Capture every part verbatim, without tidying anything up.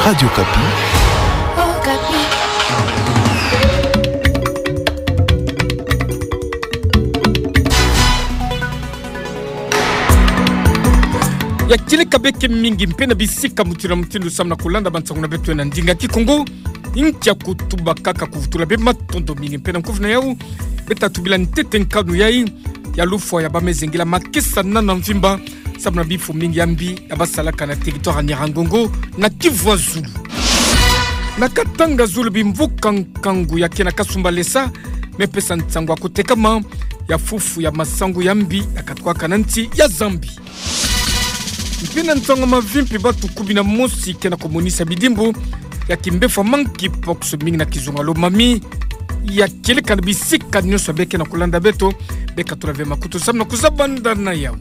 Radio Okapi. Ya kieleka beke mingi mpe na bisika mutindu na mutindu samu na kulanda bansangu na beto na ndinga Kikongo. Ntia kutuba kaka kuvutula bê matondo mingi mpe na nkufi na yau. Beta tubila ntete nkanu yai ya lufwa ya bamezengila makesa nana mvimba samu na bifu mingi ya mbi ya basalaka na territoire ya Nyiragongo na Kivu ya Zulu. Na Katanga Zulu, bimvuka nkangu ya ke na kasumbalesa mepesa nsangu ya kutekama ya fufu ya masangu ya mbi ya katuka na nsi ya Zambie. Mpe na nsangu mavimpi, batu kumi na mosi ke na kumonisa bidimbu ya kimbefwa monkeypox mingi na kizunga Lomami. Ya kieleka na bisika nyonso beke na kulanda beto, beka tula ve makutu samu na kuzabanda na yau.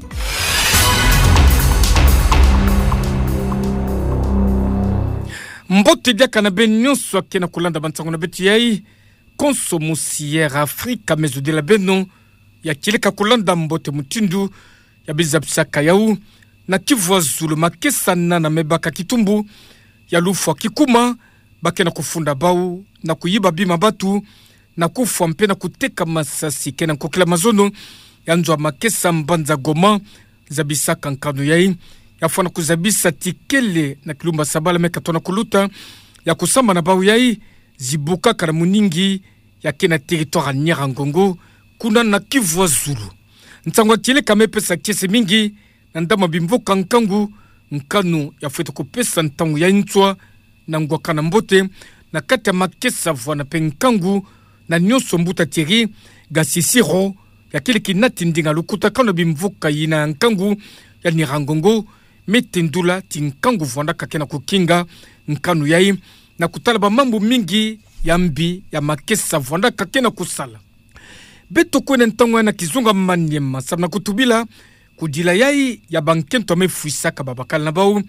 Mbote diaka na beno nyonso ke na kulanda bansangu na beto yai. Konso mosi Air Afrique mezodila beno. Ya kieleka kulanda mbote mutindu ya bizapisaka yau. Na Kivu ya Zulu, makesa nana mebaka kitumbu ya lufwa kikuma, ba ke na kufunda bau na kuyiba bima batu, na kufwa mpe na kuteka masasi ke na nkokila mazono ya nzo ya makesa mbanza Goma. Zabisaka nkanu yai ya fwana kuzabisa ti kele na kilumbu ya sabala me katona kuluta, ya kusamba na bau yai zibukaka na muningi ya ke na territoire ya Nyiragongo, kuna na Kivu ya Zulu. Nsangu ya kieleka mepesa kiese mingi na ndambu ya bimvuka nkangu. Nkanu ya fwete kupesa ntangu ya nswa na ngwakana mbote na kati ya makesa vwanda mpe nkangu na nyonso. Mbuta Thierry Gasisiro, ya kele kinati ndinga lukutakanu ya bimvuka yina ya nkangu ya Nyiragongo, me tendula ti nkangu vwandaka ke na kukinga nkanu yai na kutala bamambu mingi ya mbi ya makesa vwandaka ke na kusala. Beto kwenda ntangu yai na kizunga Maniema samu na kutubila kudila yai ya bankento ya mefwisaka babakala na bau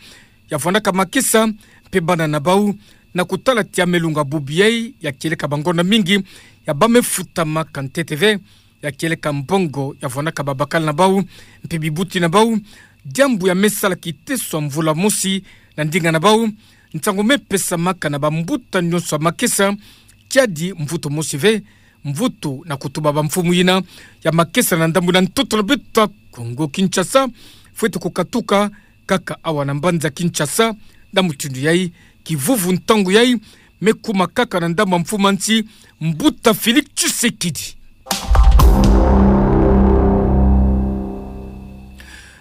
ya vwandaka makesa mpe bana na bau, na kutala ti ya melunga bubu yai ya kieleka bangonda mingi ya ba mefutamaka ntete ve, ya kieleka mbongo ya vwandaka babakala na bau mpe bibuti na bau. Diambu ya mesala kiteso ya mvula mosi na ndinga na bau. Nsangu mepesamaka na bambuta nyonso ya makesa, kiadi mvutu mosi ve, mvutu na kutuba bamfumu yina ya makesa na ndambu na ntoto na beto ya Kongo Kinshasa, fwete kukatuka kaka awa na mbanza Kinshasa. Na mutindu yai, kivuvu ntangu yai mekuma kaka na ndambu ya mfumu ya nsi, Mbuta Félix Tshisekedi.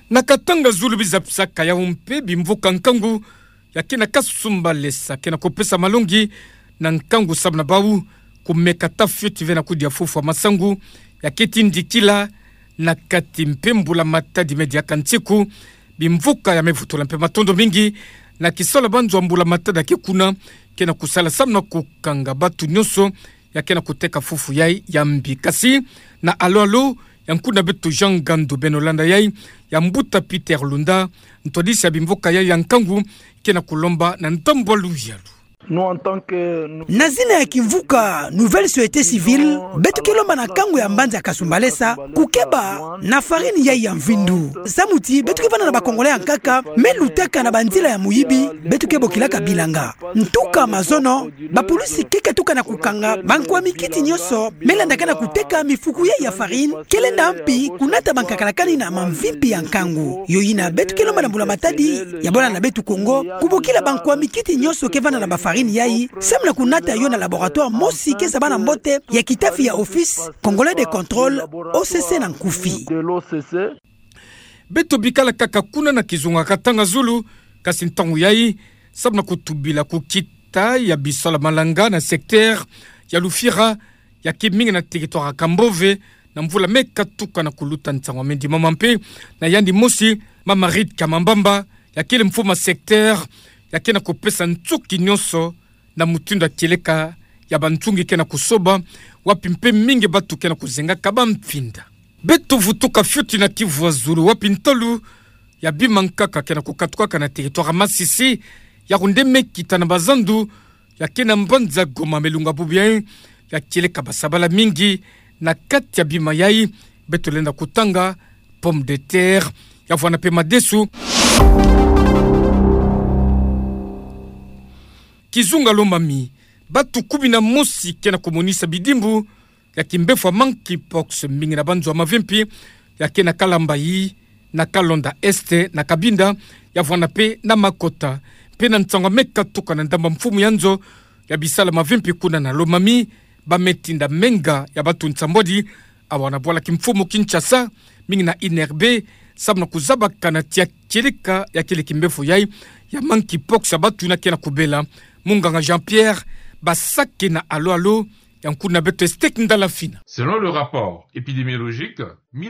Na Katanga Zulu, bizapisaka yau mpe bimvuka nkangu ya ke na kasumbalesa ke na kupesa malongi na nkangu samu na bau kumeka ta fioti ve na kudia fufu ya masangu ya ke tindikila na kati mpe mbulamatadi me diaka nsiku. Bimvuka ya mevutula mpe matondo mingi na kisalu ya banzo ya mbulamatadi ya ke kuna, ke na kusala samu na kukanga batu nyonso ya ke na kuteka fufu yai ya mbi. Kasi na alo-alo ya nkuna beto Jean Ngandu, beno landa yai ya Mbuta Peter Lunda, ntwadisi ya bimvuka yai ya nkangu, ke na kulomba na ndambu ya luyalu. Nous, en tant que, nous... Na zina ya kimvuka Nouvelle Société Civile, beto ke lomba na nkangu ya mbanza ya kasumbalesa kukeba na farine yai ya mvindu. Samu ti beto ke vanda na ba Congolais ya nkaka me lutaka na banzila ya muyibi, beto ke bokilaka bilanga. Ntuka mazono, bapulusi ke katuka na kukanga bankwa mikiti nyonso me landaka na kuteka mifuku yai ya farine, ke lenda mpi kunata bankakala kani na mamvimpi ya nkangu. Yo yina beto ke lomba na mbulamatadi ya bwala na beto Kongo kubokila bankwa mikiti nyonso ke vanda na ba farine yai, samu na kunata yo na laboratoire mosi ke zabana mbote ya kitafi ya Office Congolais de Contrôle, O C C na nkufi. Beto bikala kaka kuna na kizunga Katanga Zulu, kasi ntangu yai, samu na kutubila kukita ya bisalu ya malanga na secteur ya Lufira, ya ke mingi na territoire ya Kambove, na mvula me katuka na kuluta. Nsangu ya mendimama mpe na yandi mosi, Mama Rita Kamambamba, ya kele mfumu ya secteur, ya ke na kupesa nsuki nyonso na mutindu ya kieleka ya bansungi ke na kusoba, wapi mpe mingi batu ke na kuzengaka bamfinda. Beto vutuka fioti na Kivu ya Zulu, wapi ntalu ya bima nkaka ke na kukatukaka na territoire ya Masisi, ya kunde me kita na bazandu ya ke na mbanza Goma, melunga bubu yai ya kieleka basabala mingi na kati ya bima yai. Beto lenda kutanga pomme de terre, ya vwanda mpe madesu. Kizunga Lomami, batu kumi na mosi ke na kumonisa bidimbu ya kimbefo ya monkeypox, mingi na banzo ya mavimpi, ya ke na Kalambay, na Kalonda Est, na Cabinda, ya vwana pe na Makota. Pe na nsangu ya me katuka na ndambu ya mfumu ya nzo ya bisala mavimpi kuna na Lomami, ba me tinda menga ya batu nsambwadi awa na bwala kimfumu Kinshasa, mingi na I N R B, samu na kuzabakana tia kieleka ya kele kimbefo yai ya monkeypox ya batu na ke na kubela. Munganga Jean-Pierre Basake na Alo Alo, ya nkuna beto Estek Ndala Fina. Selon le rapport épidémiologique,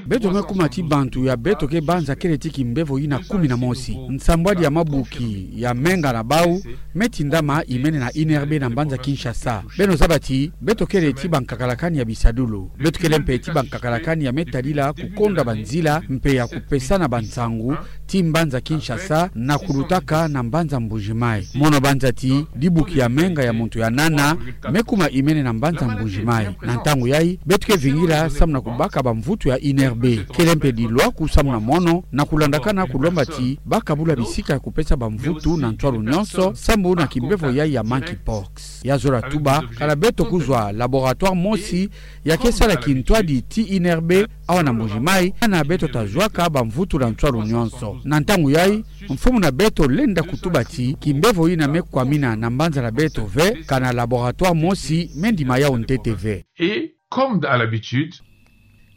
beto me kuma ti bantu ya beto ke banza kele ti kimbefo ina kumi na mosi. Nsambwadi ya mabuki ya menga na bau me tindama imene na I N R B na mbanza Kinshasa. Beno zaba ti beto kele ti bankakalakani ya bisadulu. Beto kele mpe ti bankakalakani ya me tadila kukonda banzila mpe ya kupesana bansangu ti mbanza Kinshasa na kulutaka na mbanza Mbuji-Mayi. Mono banza ti dibuki ya menga ya muntu ya nana me kuma imene na mbanza Mbuji-Mayi. Na ntangu yai, beto ke vingila samu na kubaka bamvutu ya I N R B. Kele mpe dilwaku samu na mono na kulandakana kulomba ti bakabula bisika ya kupesa bamvutu na ntwalu nyonso, sambu na kimbefo yai ya monkeypox. Ya zola tuba, kana beto kuzwa laboratoire mosi ya ke sala kintwadi ti I N R B awa na Mbuji-Mayi, kana beto ta zwaka bamvutu na ntwalu nyonso. Na ntangu yai, mfumu na beto lenda kutuba ti kimbefo ina me kwamina na mbanza na beto ve, kana laboratoire mosi me ndima yau ntete ve. Et, comme à l'habitude,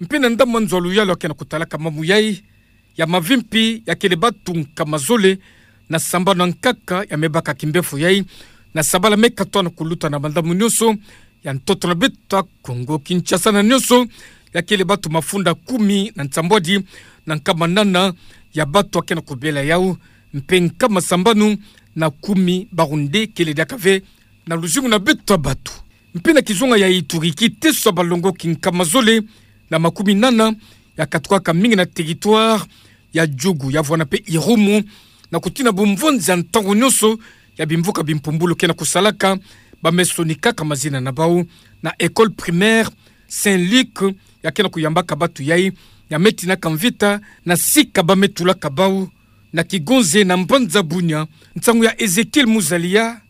mpe na ndambu ya nzo ya luyalu ya ke na kutalaka mamu yai ya mavimpi, ya kele batu nkama zole na sambanu ya nkaka ya me baka kimbefo yai, na sabala me katoa na kuluta na mandambu nyonso ya ntoto na beto ya Kongo Kinshasa na nyonso, ya kele batu mafunda kumi na nsambwadi na nkama nana ya batu ya ke na kubela yau, mpe nkama sambanu na kumi barunde kele diaka ve na luzingu na beto ya batu. Mpe na kizunga ya Ituri, kiteso ya balongoki nkama zole na makumi nana ya katukaka mingi na territoire ya Djugu, ya vwana pe Irumu, na kutina bumvonzi ya ntangu nyonso ya bimvuka bimpumbulu ke na kusalaka, ba me sonikaka mazina na bau na école primaire Saint Luc, ya ke na kuyambaka batu yai ya me tinaka mvita na sika ba me tulaka bau na kigonze na mbanza Bunia. Nsangu ya Ezekiel Muzalia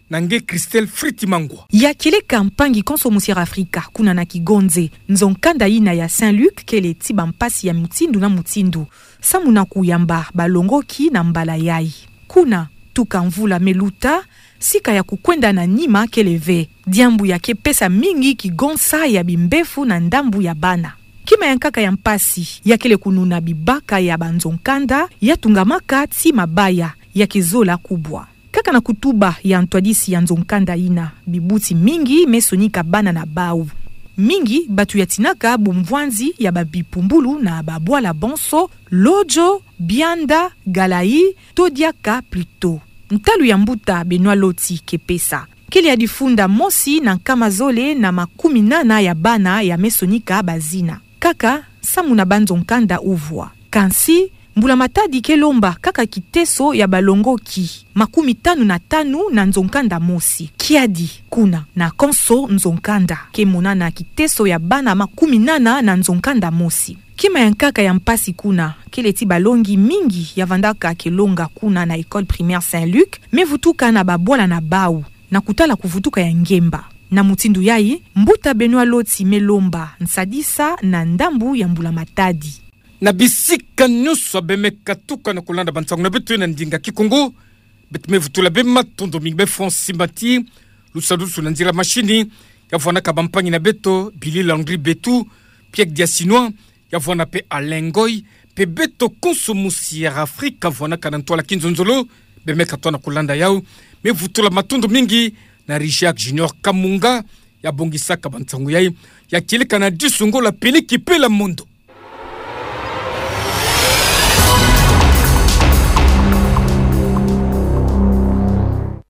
na nge Christelle Fritz Mangwa. Ya kieleka mpangi konso musi ya Afrika, kuna na kigonze, nzo-nkanda ina ya Saint Luc kele ti bampasi ya mutindu na mutindu, samu na kuyamba balongoki na mbala yai. Kuna, tuka mvula me luta, sika ya kukwenda na nima kele ve. Diambu ya ke pesa mingi kigonsa ya bimbefu na ndambu ya bana. Kima ya nkaka ya mpasi, ya kele kununa bibaka ya banzo-nkanda ya tungamaka ti mabaya, ya ke zola kubwa. Kaka na kutuba ya ntwadisi ya nzo-nkanda ina, bibuti mingi me sonika bana na bau. Mingi batu ya tinaka bumvwanzi ya babipumbulu na babwala bonso, Lodjo, Bianda, Galayi, to diaka Pluto. Ntalu ya mbuta Benoît Loti ke pesa, kele ya difunda mosi na nkama zole na makumi nana ya bana ya me sonika bazina. Kaka samu na banzo-nkanda uvwa. Kansi, mbula-matadi ke lomba kaka kiteso ya balongoki makumi tanu na tanu na nzo-nkanda mosi. Kiadi, kuna, na konso nzo-nkanda, ke monana kiteso ya bana makumi nana na nzo-nkanda mosi. Kima ya nkaka ya mpasi kuna, kele ti balongi mingi ya vandaka ke longa kuna na école primaire Saint Luc, me vutuka na babwala na bau, na kutala kuvutuka ya ngemba. Na mutindu yai, mbuta Benoît Loti me lomba nsadisa na ndambu ya mbula-matadi. Na bisika nyonso beno me katuka na kulanda bansangu na beto na ndinga Kikongo, beto me vutula beno matondo mingi. Beno fwa nsimbati, lusadusu na nzila mashini, ya vwanaka bampangi na beto, Billy Landry Betu, Pierre Diasinois, ya vwana pe Alain Ngoy, pe beto konso musi ya Afrika vwanaka na ntwala kinzonzolo, beno me katoa na kulanda yau. Me vutula matondo mingi na Richard Junior Kamunga, ya bongisaka bansangu yai, ya kieleka na disu ngola peliki pela mondo.